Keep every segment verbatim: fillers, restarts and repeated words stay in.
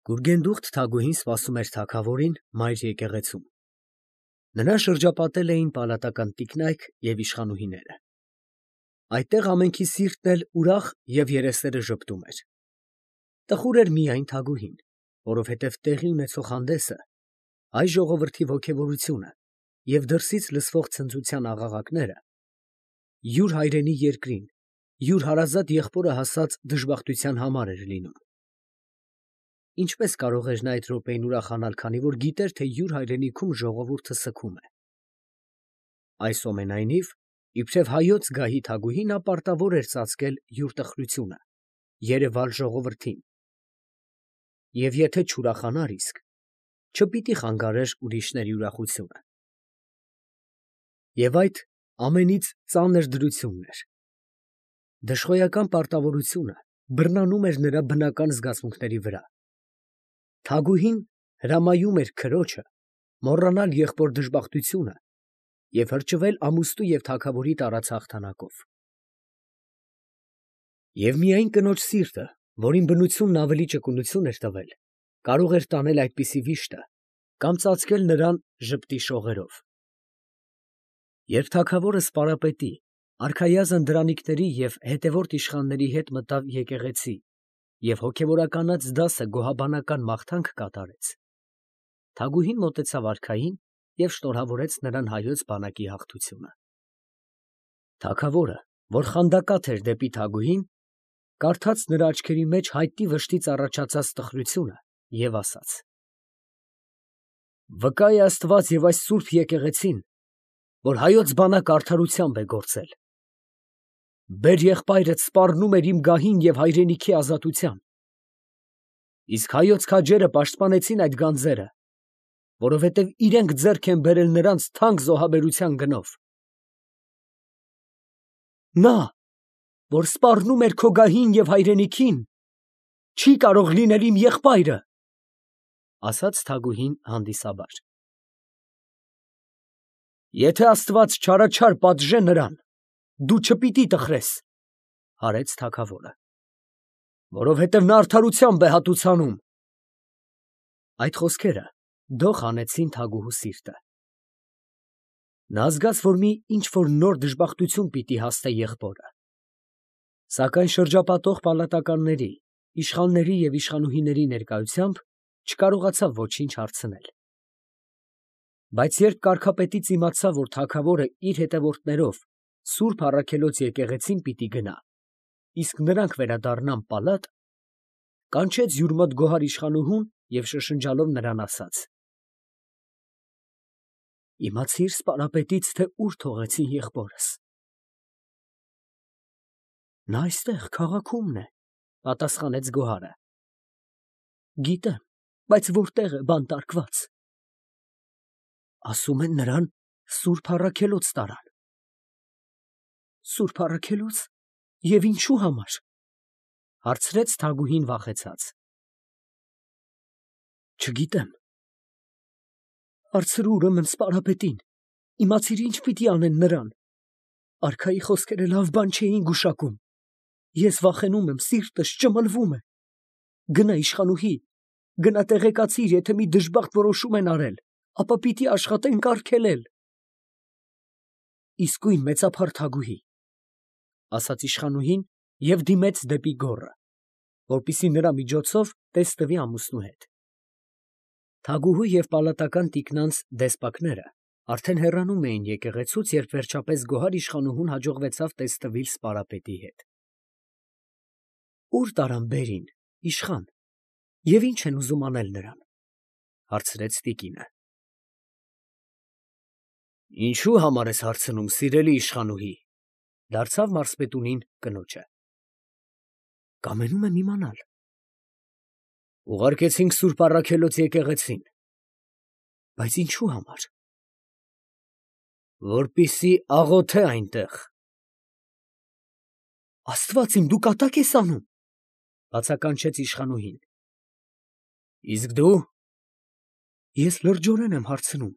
Գուրգենդուխտ Թագուհին սպասում էր թագավորին մայր եկեղեցում. նրան շրջապատել էին պալատական տիկնայք և իշխանուհիները. այդտեղ ամենքի սիրտն էլ ուրախ և երեսները ժպտում էր. տխուր էր միայն Թագուհին, որովհետև տեղի ունեցող հանդեսը, հայ ժողովրդի ոգևորությունը և դրսից լսվող ցնծության աղաղակները յուր հայրենի երկրին, յուր հարազատ եղբորը հասած դժբախտության համար էր լինում. ինչպես կարող էր նա այդ րոպեին ուրախանալ, քանի որ գիտեր, թե յուր հայրենիքում ժողովուրդը սգում է. այսուամենայնիվ, իբրև հայոց գահի Թագուհի նա պարտավոր էր ծածկել յուր տխրությունը, երևալ ժողովրդին, և եթե չուրախանար իսկ, չպիտի խանգարեր ուրիշների ուրախությունը. և այդ ամենից ծանր դրությունն էր. դժխոյական պարտավորությունը բռնանում էր նրա բնական զգացմունքների վրա. Թագուհին հրամայում էր քրոջը մոռանալ եղբոր դժբախտությունը և հրճվել ամուստու և թագավորի տարած հաղթանակով. և միայն կնոջ սիրտը, որին բնությունն ավելի ճկունություն էր տվել, կարող էր տանել այդպիսի վիշտը կամ ծածկել նրան ժպտի շողերով. երբ թագավորը սպարապետի, արքայազն դրանիկների և հետևորդ իշխանների հետ մտավ եկեղեցի և հոգևորականած դասը գոհաբանական մաղթանք կատարեց, Թագուհին մոտեցավ արքային և շնորհավորեց նրան հայոց բանակի հաղթությունը. թագավորը, որ խանդակաթ էր դեպի Թագուհին, կարդաց նրա աչքերի մեջ հայտնի վշտից առաջացած տխրությունը և ասաց. վկա է Աստված և այս սուրբ եկեղեցին, որ հայոց բանակը արդարությամբ է գործել. բեր եղբայրդ սպառնում էր իմ գահին և հայրենիքի ազատության, իսկ հայոց քաջերը պաշտպանեցին այդ գանձերը, որովհետև իրանք ձեռք են բերել նրանց թանկ զոհաբերության գնով. նա, որ սպառնում էր քո գահին և հայրենիքին, չի կարող լինել իմ եղբայրը, ֊ ասաց Թագուհին հանդիսաբար։ ֊ Եթե Աստված չարաչար պատժե նրան, դու չպիտի տխրես, ֊ հարեց թագավորը, ֊ որովհետև նա արդարությամբ է հատուցանում։ Այդ խոսքերը դող հանեցին Թագուհու սիրտը. նա զգաց, որ մի ինչ֊որ նոր դժբախտություն պիտի հասնե եղբորը, սակայն շրջապատող պալատականների, իշխանների և իշխանուհիների ներկայությամբ չկարողացավ ոչինչ հարցնել. բայց երբ կարգապետից իմացավ, որ թագավորը իր հետևորդներով սուրբ առաքելոց եկեղեցին պիտի գնա, իսկ նրանք վերադառնան պալատ, կանչեց յուր մոտ գոհար իշխանուհուն և շշնջալով նրան ասաց. իմացի՞ր սպարապետից, թե ուր թողեցին եղբորս։ նա այստեղ քաղաքումն է, ֊ պատասխանեց գոհարը։ գիտեմ, բայց որտե՞ղ է բանտարկված։ ասում են նրան սուրբ առաքելոց տարան։ սուրբ առաքելո՞ց, և ինչո՞ւ համար, ֊ հարցրեց Թագուհին վախեցած։ չգիտեմ։ հարցրու ուրեմն սպարապետին, իմացիր ինչ պիտի անեն նրան. արքայի խոսքերը լավ բան չէին գուշակում, ես վախենում եմ, սիրտս ճմլվում է։ գնա իշխանուհի, գնա տեղեկացիր, եթե մի դժբախտ որոշում են արել, ապա պիտի աշխատենք արգելել։ իսկույն մեծափառ Թագուհի, ֊ ասաց իշխանուհին և դիմեց դեպի գոռը, որպեսզի նրա միջոցով տեսնվի ամուսնու հետ. Թագուհու և պալատական տիկնանց դեսպակները արդեն հեռանում էին եկեղեցուց, երբ վերջապես գոհար իշխանուհուն հաջողվեցավ տեսնվիլ սպարապետի հետ։ Ո՞ւր տարան բերին, իշխան, և ի՞նչ են ուզում անել նրան, ֊ հարցրեց տիկինը։ Ինչո՞ւ համար ես հարցնում, սիրելի իշխանուհի, ֊ դարձավ մարզպետունին կնոջը։ Կամենում եմ իմանալ։ Ուղարկեցինք սուրբ առաքելոց եկեղեցին, բայց ինչո՞ւ համար։ որպեսզի աղոթե այնտեղ։ Աստված իմ, դու կատակ ես անում, ֊ բացականչեց իշխանուհին։ Իսկ դու։ Ես լրջորեն եմ հարցնում։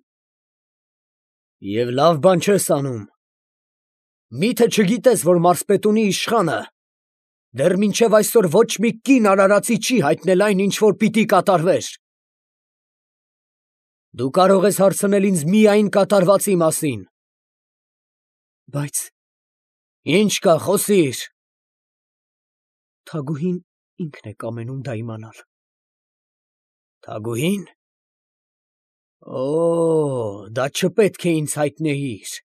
Եվ լավ բան չես անում։ Մի՞թե չգիտես, որ մարզպետունի իշխանը Դեռ մինչև այսօր ոչ մի կին արարածի չի հայտնել այն, ինչ որ պիտի կատարվեր։ Դու կարող ես հարցնել ինձ միայն կատարվածի մասին։ Բայց ինչ կա, խոսիր։ Թագուհին ինքն է կամենում դա իմանալ։ Թագուհին։ Օ, դա չպետք է ինձ հայտնեիր։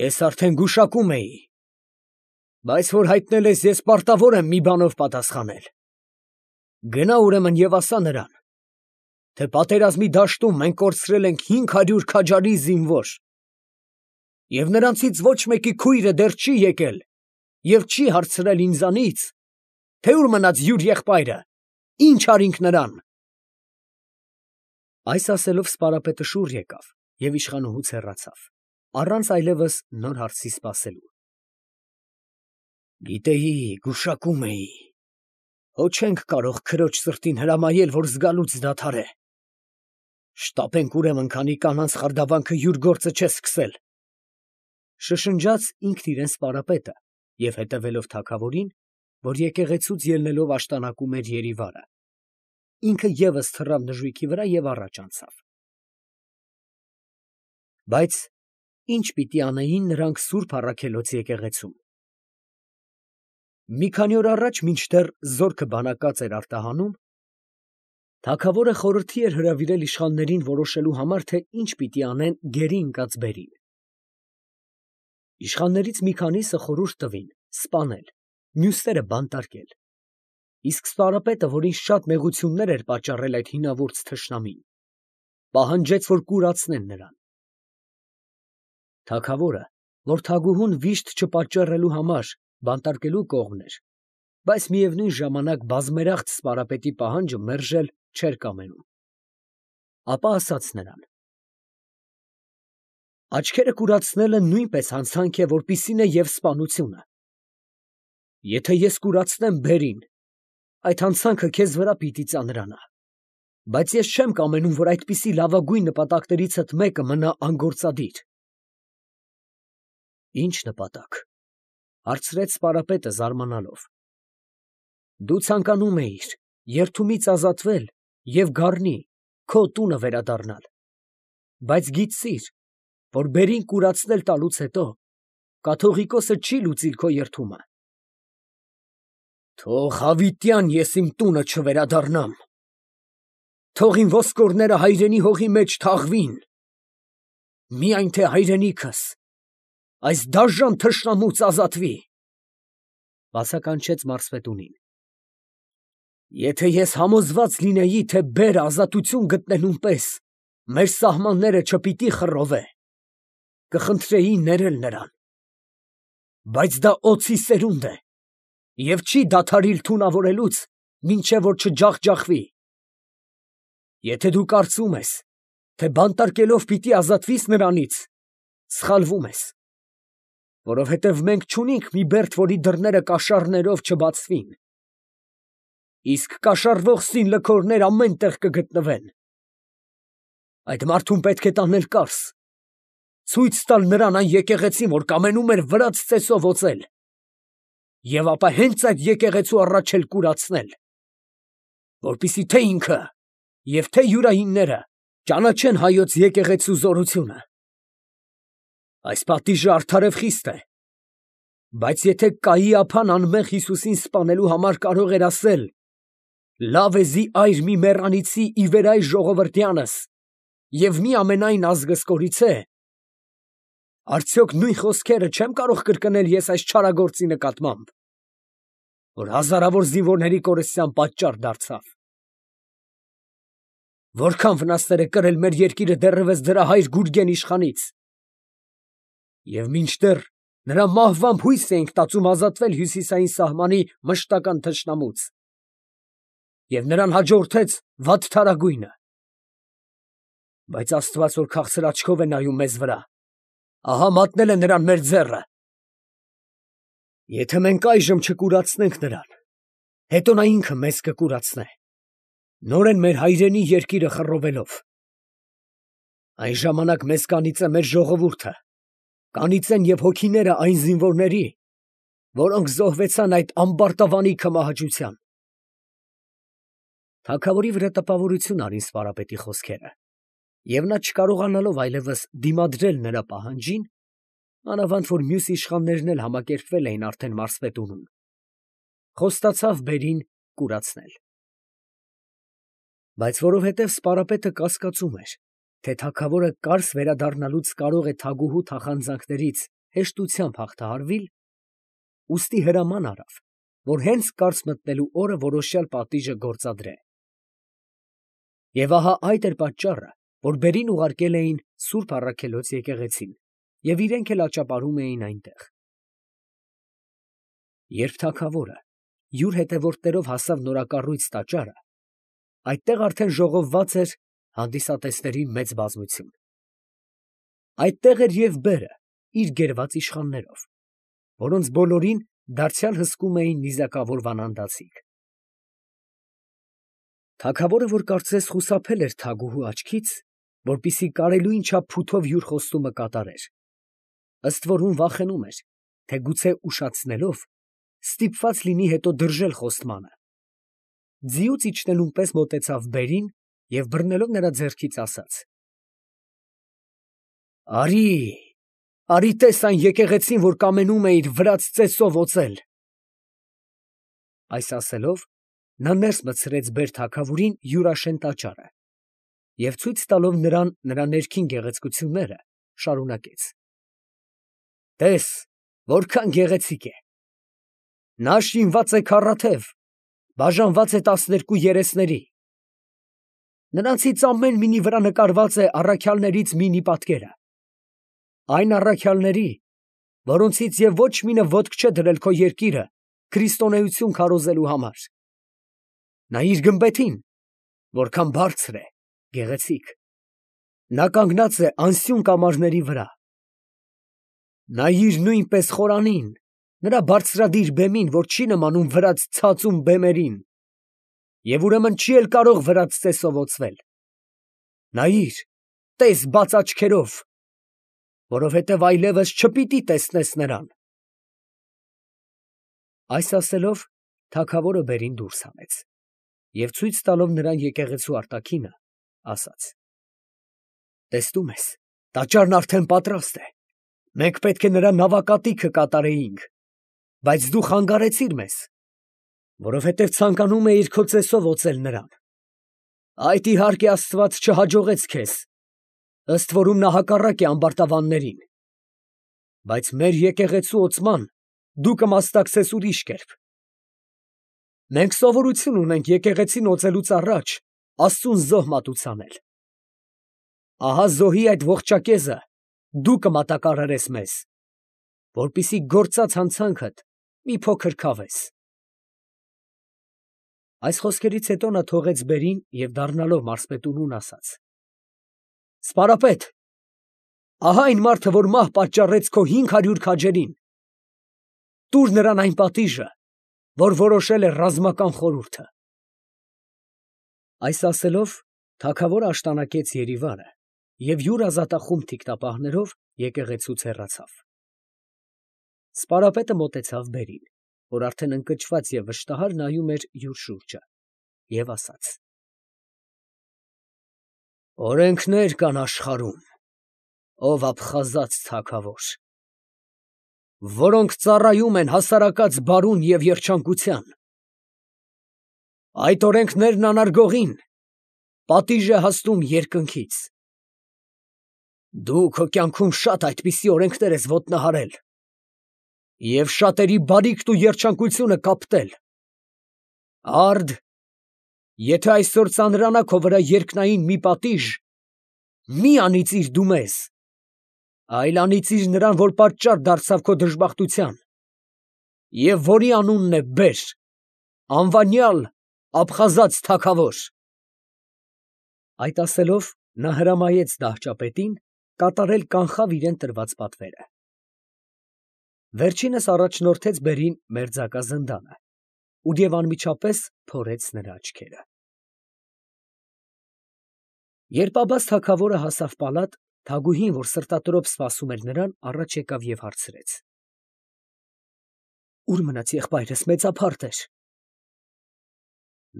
Ես արդեն գուշակում էի։ Բայց որ հայտնել ես, ես պարտավոր եմ մի բանով պատասխանել։ Գնա ուրեմն եւ ասա նրան, թե պատերազմի դաշտում մենք կորցրել ենք հինգ հարյուր քաջարի զինվոր, եւ նրանցից ոչ մեկի քույրը դեռ չի եկել եւ չի հարցրել ինձանից, թե ուր մնաց յուր եղբայրը, ինչ արինք նրան։ Այս ասելով սպարապետը շուռ եկավ եւ իշխանուհուց հեռացավ, առանց այլևս նոր հարցի սպասելու։ Գիտեի, գուշակում էի, հո չենք կարող քրոջ սրտին հրամայել, որ զգալուց դադարե։ Շտապենք ուրեմն, քանի կանանց խարդավանքը յուր գործը չէ սկսել։ Շշնջաց ինքն իրեն սպարապետը եւ հետևելով թագավորին, որ եկեղեցուց ելնելով աշտանակում էր Երիվարը, ինքը ևս թռավ նժույգի վրա եւ առաջ անցավ։ Բայց ինչ պիտի անեին նրանք Սուրբ Առաքելոց եկեղեցում։ Մի քանի օր առաջ, մինչդեռ զորքը բանակած էր արտահանում, թագավորը խորհրդի էր հրավիրել իշխաններին որոշելու համար, թե ինչ պիտի անեն գերի ընկած բերին։ Իշխաններից մի քանիսը խորհուրդ տվին սպանել, մյուսները բանտարկել, իսկ սպարապետը, որին շատ մեղություններ էր պատճառել այդ հինավուրց թշնամին, պահանջեց, որ կուրացնեն նրան։ Թագավորը, որ թագուհուն վիշտ չպատճառելու համար բանտարկելու կողմն էր, բայց միևնույն ժամանակ բազմերախտ սպարապետի պահանջը մերժել չէր կամենում, ապա ասաց նրան. Աչքերը կուրացնելը նույնպես հանցանք է, որպիսին է և սպանությունը։ Եթե ես կուրացնեմ բերին, այդ հանցանքը քեզ վրա պիտի ծանրանա, բայց ես չեմ կամենում, որ այդպիսի լավագույն նպատակներիցդ մեկը մնա անգործադիր։ Ինչ նպատակ, հարցրեց սպարապետը զարմանալով։ Դու ցանկանում էիր երդումից ազատվել և գառնի քո տունը վերադառնալ, բայց գիտցիր, որ բերին կուրացնել տալուց հետո կաթողիկոսը չի լուծիլ քո երդումը։ Թող հավիտյան ես իմ տունը չվերադառնամ, թող իմ ոսկորները հայրենի հողի մեջ թաղվին, միայն թե հայրենիքս այս դաժան թշնամուց ազատվի, բացականչեց մարզպետունին։ Եթե ես համոզված լինեի, թե բերը ազատություն գտնելուն պես մեր սահմանները չպիտի խռովե, կխնդրեի ներել նրան, բայց դա օձի սերունդ է և չի դադարիլ թունավորելուց, մինչև որ չջախջախվի։ Եթե դու կարծում ես, թե բանտարկելով պիտի ազատվիս նրանից, սխալվում ես, որովհետև մենք չունենք մի բերդ, որի դռները կաշառներով չբացվին, իսկ կաշառվող սին լքորներ ամեն տեղ կգտնվեն։ Այդ մարդուն պետք է տանել կարս, ցույց տալ նրան այն եկեղեցին, որ կամենում էր վրաց ծեսով օծել, և ապա հենց այդ եկեղեցու առաջ էլ կուրացնել, որպեսզի թե ինքը և թե յուրայինները ճանաչեն հայոց եկեղեցու զորությունը։ Այս պատիժը արդար և խիստ է, բայց եթե Կայիափան անմեղ Հիսուսին սպանելու համար կարող էր ասել. «Լավ է զի այր մի մեռանիցի ի վերայ ժողովրդյանս և մի ամենայն ազգս կորիցե», արդյոք նույն խոսքերը չեմ կարող կրկնել ես այս չարագործի նկատմամբ, որ հազարավոր զինվորների կորստյան պատճառ դարձավ։ Որքան վնասներ է կրել մեր երկիրը դեռևս դրա հայր Գուրգեն իշխանից, և մինչդեռ նրա մահվամբ հույս էինք տածում ազատվել հյուսիսային սահմանի մշտական թշնամուց, և նրան հաջորդեց վատթարագույնը։ Բայց Աստված, որ քաղցր աչքով է նայում մեզ վրա, ահա մատնել է նրան մեր ձեռը։ Եթե մենք այժմ չկուրացնենք նրան, հետո նա ինքը մեզ կկուրացնե, նորեն մեր հայրենի երկիրը խռովելով։ Այն ժամանակ մեզ կանիծե մեր ժողովուրդը, կանիծեն և հոգիները այն զինվորների, որոնք զոհվեցան այդ ամբարտավանի քմահաճության։ Թագավորի վրա տպավորություն արին սպարապետի խոսքերը, և նա չկարողանալով այլևս դիմադրել նրա պահանջին, մանավանդ որ մյուս իշխաններն էլ համակերպվել էին արդեն մարզպետունում, խոստացավ բերին կուրացնել։ Բայց որովհետև սպարապետը կասկածում էր, թե թագավորը կարս վերադառնալուց կարող է թագուհու թախանձանքներից հեշտությամբ հաղթահարվիլ, ուստի հրաման արավ, որ հենց կարծ մտնելու օրը որոշյալ պատիժը գործադրե։ Եվ ահա այդ էր պատճառը, որ բերին ուղարկել էին Սուրբ Առաքելոց եկեղեցին, և իրենք էլ աճապարում էին այնտեղ։ Երբ թագավորը յուր հետևորդներով հասավ նորակառույց տաճարը, այդտեղ արդեն ժողովված էր հանդիսատեսների մեծ բազմություն։ Այդտեղ էր և բերը իր գերված իշխաններով, որոնց բոլորին դարձյալ հսկում էին նիզակավոր վանանդացիք։ Թագավորը, որ կարծես խուսափել էր թագուհու աչքից, որպեսզի կարելույն չափ փութով յուր խոստումը կատարեր, ըստ որում վախենում էր, թե գուցե ուշացնելով ստիպված լինի հետո դրժել խոստմանը, ձիուց իջնելուն պես մոտեցավ բերին և բռնելով նրա ձեռքից ասաց. «Արի, արի տես այն եկեղեցին, որ կամենում էիր վրաց ծեսով օծել»։ Այս ասելով, նա ներս մտցրեց բեր֊թագավորին յուրաշեն տաճարը և ցույց տալով նրան նրա ներքին գեղեցկությունները, շարունակեց. «Տես, որքան գեղեցիկ է. նա շինված է քառաթև, բաժանված է տասներկու երեսների. նրանցից ամեն մինի վրա նկարված է առաքյալներից մինի պատկերը, այն առաքյալների, որոնցից և ոչ մինը ոտք չէ դրել քո երկիրը քրիստոնեություն քարոզելու համար. նայիր գմբեթին, որքան բարձր է, գեղեցիկ, նա կանգնած է անսյուն կամարների վրա. նայիր նույնպես խորանին, նրա բարձրադիր բեմին, որ չի նմանում վրաց ցածուն բեմերին, և ուրեմն չի էլ կարող վրաց ծեսով օծվել. նայիր, տես բաց աչքերով, որովհետև այլևս չպիտի տեսնես նրան»։ Այս ասելով, թագավորը բերին դուրս հանեց և ցույց տալով նրան եկեղեցու արտաքինը, ասաց. «Տեսնում ես, տաճարն արդեն պատրաստ է, մենք պետք է նրա նավակատիքը կատարեինք, բայց դու խանգարեցիր մեզ, որովհետև ցանկանում էիր քո ծեսով օծել նրան. այդ իհարկե աստված չհաջողեց քեզ, ըստ որում նա հակառակ է ամբարտավաններին, բայց մեր եկեղեցու օծման դու կմասնակցես ուրիշ կերպ։ Մենք սովորություն ունենք եկեղեցին օծելուց առաջ Աստծուն զոհ մատուցանել. ահա զոհի այդ ողջակեզը դու կմատակարարես մեզ, որպեսզի գործած հանցանքդ մի փոքր քավես»։ Այս խոսքերից հետո նա թողեց բերին և դառնալով մարզպետունուն ասաց. «Սպարապետ, ահա այն մարդը, որ մահ պատճառեց քո հինգ հարյուր քաջերին, տուր նրան այն պատիժը, որ որոշել է ռազմական խորհուրդը»։ Այս ասելով, թագավորը աշտանակեց Երիվանը և յուր ազատախումբ թիկնապահներով եկեղեցուց հեռացավ։ Սպարապետը մոտեցավ բերին, որ արդեն ընկճված և վշտահար նայում էր յուր շուրջը, և ասաց. «Օրենքներ կան աշխարհում, ով աբխազած թագավոր, որոնք ծառայում են հասարակած բարուն և երջանկության. այդ օրենքներն անարգողին պատիժ է հասնում երկնքից։ Դու քո կյանքում շատ այդպիսի օրենքներ ես ոտնահարել և շատերի բարիքն ու երջանկությունը կապտել. արդ, եթե այսօր ծանրանա քո վրա երկնային մի պատիժ, մի անիծիր դու մեզ, այլ անիծիր նրան, որ պատճառ դարձավ քո դժբախտության, և որի անունն է բեր, անվանյալ աբխազած թագավոր»։ Այդ ասելով, նա հրամայեց դահճապետին կատարել կանխավ իրան տրված պատվերը։ Վերջինս առաջնորդեց բերին մերձակա զնդանը և անմիջապես փորեց նրա աչքերը։ Երբ Աբբաս թագավորը հասավ պալատ, թագուհին, որ սրտատրոփ սպասում էր նրան, առաջ եկավ և հարցրեց. Ուր մնաց եղբայրս, մեծափարտ էր։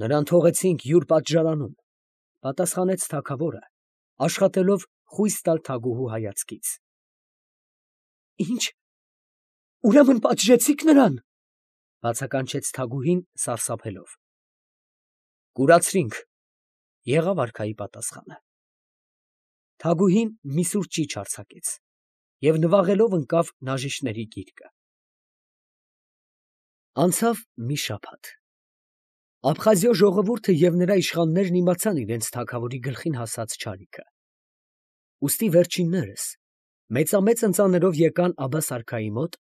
Նրան թողեցինք յուր պատժարանում, պատասխանեց թագավորը, աշխատելով խույս տալ Թագուհու հայացքից։ Ինչ, ուրեմն պատժեցիք նրան, բացականչեց Թագուհին սարսափելով։ Կուրացրինք, եղավ արքայի պատասխանը։ Թագուհին մի սուր ճիչ արձակեց և նվաղելով ընկավ նաժիշտների գիրկը։ Անցավ մի շաբաթ։ Աբխազիա ժողովուրդը և նրա իշխաններն իմացան իրենց թագավորի գլխին հասած չարիքը։ Ուստի վերջիններս մեծամեծ ընծաներով եկան Աբբաս արքայի մոտ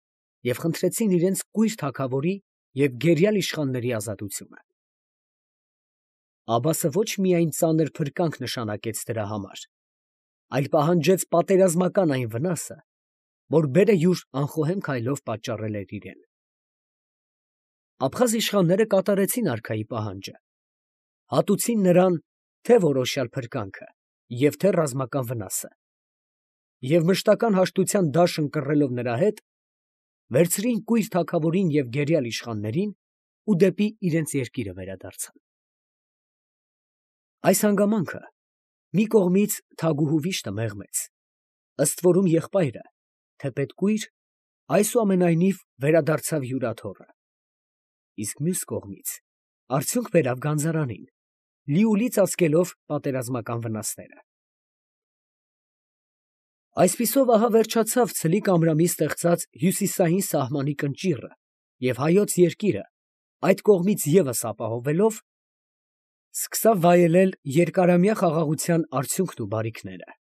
և խնդրեցին իրենց կույր թագավորի և գերյալ իշխանների ազատությունը։ Աբբասը ոչ միայն ծանր փրկանք նշանակեց դրա համար, այլ պահանջեց պատերազմական այն վնասը, որ բերը յուր անխոհեմ քայլով պատճառել էր իրան։ Աբխազ իշխանները կատարեցին արքայի պահանջը, հատուցին նրան թե՛ որոշյալ փրկանքը և թե՛ ռազմական վնասը, և մշտական հաշտության դաշն կռելով նրա հետ, վերցրին կույր թագավորին և գերյալ իշխաններին ու դեպի իրենց երկիրը վերադարձան։ Այս հանգամանքը մի կողմից Թագուհու վիշտը մեղմեց, ըստ որում եղբայրը, թեպետ կույր, այսուամենայնիվ վերադարձավ հյուրաթոռը, իսկ մյուս կողմից արդյունք բերավ գանձարանին, լիուլի ծածկելով պատերազմական վնասները։ Այսպիսով ահա վերջացավ Ցլիկ Ամրամի ստեղծած հյուսիսային սահմանի կնճիռը, և հայոց երկիրը, այդ կողմից ևս ապահովելով, սկսավ վայելել երկարամյա խաղաղության արդյունքն ու բարիքները։